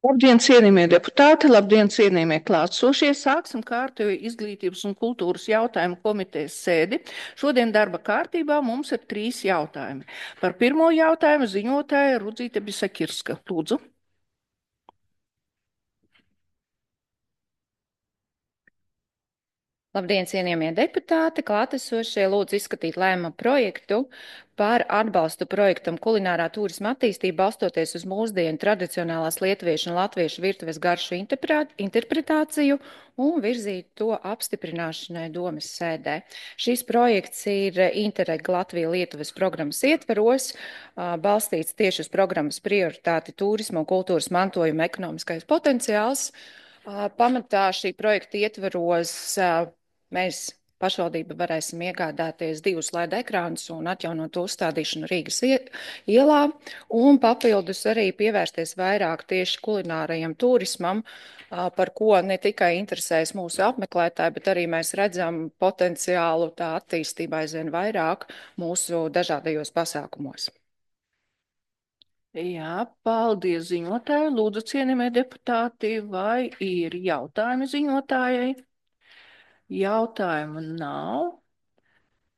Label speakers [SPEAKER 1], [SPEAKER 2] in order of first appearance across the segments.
[SPEAKER 1] Labdien, cienījamie deputāti, labdien, cienījamie klātsošie. Sāksim kārtējo izglītības un kultūras jautājumu komitejas sēdi. Šodien darba kārtībā mums ir 3 jautājumi. Par pirmo jautājumu ziņotāja Rudzīte Bisakirska. Lūdzu.
[SPEAKER 2] Labdien, cienījamie deputāti! Klātesošie lūdzu izskatīt lēmuma projektu par atbalstu projektam kulinārā turisma attīstība balstoties uz mūsdienu tradicionālās lietuviešu un latviešu virtuves garšu interpretāciju un virzīt to apstiprināšanai domes sēdē. Šis projekts ir Interreg Latvija-Lietuvas programmas ietveros, balstīts tieši uz programmas prioritāti turisma un kultūras mantojuma ekonomiskais potenciāls. Pamatā šī projekta ietveros mēs pašvaldība varēsim iegādāties 2 LED ekrānus un atjaunot to uzstādīšanu Rīgas ielā, un papildus arī pievērsties vairāk tieši kulinārajam turismam, par ko ne tikai interesēs mūsu apmeklētāji, bet arī mēs redzam potenciālu tā attīstībā aizvien vairāk mūsu dažādajos pasākumos.
[SPEAKER 1] Jā, paldies ziņotāju. Lūdzu, cienījamie deputāti, vai ir jautājumi ziņotājai? Jautājumu nav.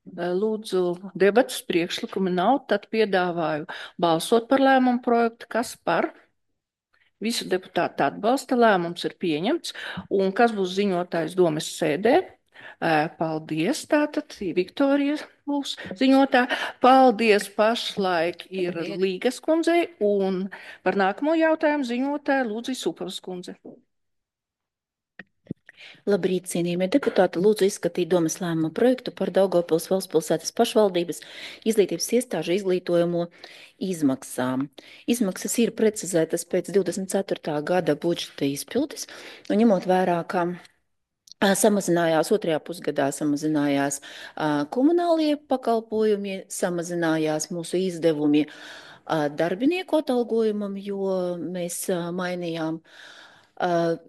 [SPEAKER 1] Lūdzu, debatas priekšlikumi nav, tad piedāvāju balsot par lēmumu projektu. Kas par? Visu deputātu atbalsta, lēmums ir pieņemts. Un kas būs ziņotājs domes sēdē? Paldies, tātad Viktorija būs ziņotā. Paldies, pašlaik ir Līgas kundzei, un par nākamo jautājumu ziņotāja Lūdzu Supavas kundze.
[SPEAKER 3] Labrīt, cienījamie deputāti, lūdzu izskatīt domes lēmuma projektu par Daugavpils valstspilsētas pašvaldības izglītības iestāžu izglītojumu izmaksām. Izmaksas ir precizētas pēc 24. gada budžeta izpildes, un ņemot vērā, ka samazinājās otrajā pusgadā, samazinājās komunālie pakalpojumi, samazinājās mūsu izdevumi darbinieku atalgojumam, jo mēs mainījām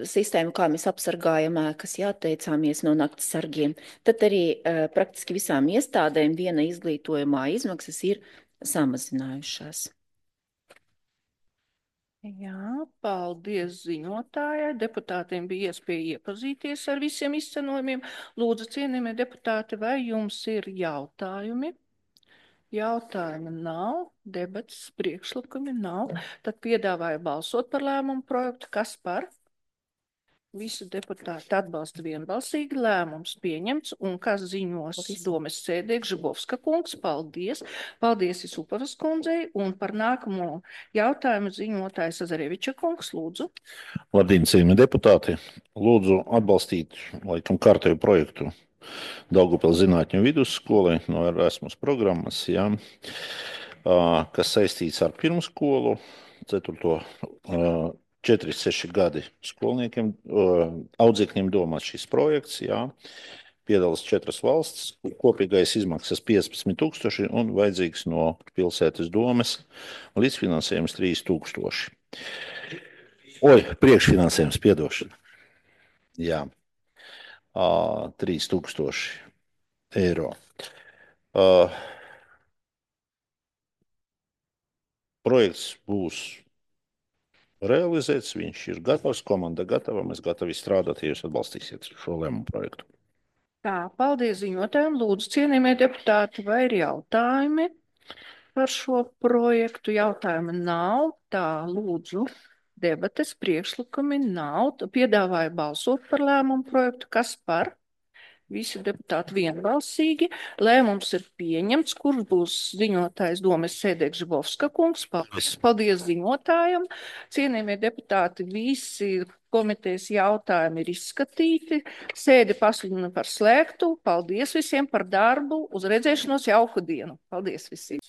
[SPEAKER 3] sistēmu, kā mēs apsargājam ēkas, atteicāmies no nakts sargiem. Tad arī praktiski visām iestādēm viena izglītojumā izmaksas ir samazinājušās.
[SPEAKER 1] Jā, paldies ziņotājai. Deputātiem bija iespēja iepazīties ar visiem izcenojumiem. Lūdzu, cienījamie deputāti, vai jums ir jautājumi? Jautājumi nav, debatas priekšlikumi nav. Tad piedāvāju balsot par lēmumu projektu. Kas par? Visu deputāti atbalsta vienbalsīgi, lēmums pieņemts, un kas ziņos domes sēdē Gžibovska kungs, paldies. Paldies Supavas kundzei, un par nākamo jautājumu ziņotājs Azareviča kungs, lūdzu.
[SPEAKER 4] Labdien, cienījamie deputāti! Lūdzu atbalstīt laikam kārtēju projektu Daugavpils zinātņu vidusskolai no Erasmus programmas, jā, kas saistīts ar pirmskolu, 4-6 gadi skolniekiem, audzēkņiem domāts šis projekts, jā. Piedalās 4 valsts, kopīgais izmaksas 15 000 un vajadzīgs no pilsētas domes līdzfinansējums 3000. Priekšfinansējums, piedošana. Jā. 3000 eiro. Projekts būs realizēts, viņš ir gatavs, komanda gatava, mēs gatavi strādāt, ja jūs atbalstīsiet šo lēmumu projektu.
[SPEAKER 1] Tā, paldies ziņotājiem. Lūdzu, cienījamie deputāti, vai ir jautājumi par šo projektu? Jautājumu nav. Tā, lūdzu, debates priekšlikumi nav. Piedāvāju balsot par lēmumu projektu. Kas par? Visi deputāti vienbalsīgi. Lēmums ir pieņemts, kurš būs ziņotājs domes sēdē Gžibovska kungs. Paldies ziņotājam. Cienījamie deputāti, visi komitejas jautājumi ir izskatīti. Sēdi pasludinu par slēgtu. Paldies visiem par darbu. Uz redzēšanos, jauku dienu. Paldies visiem.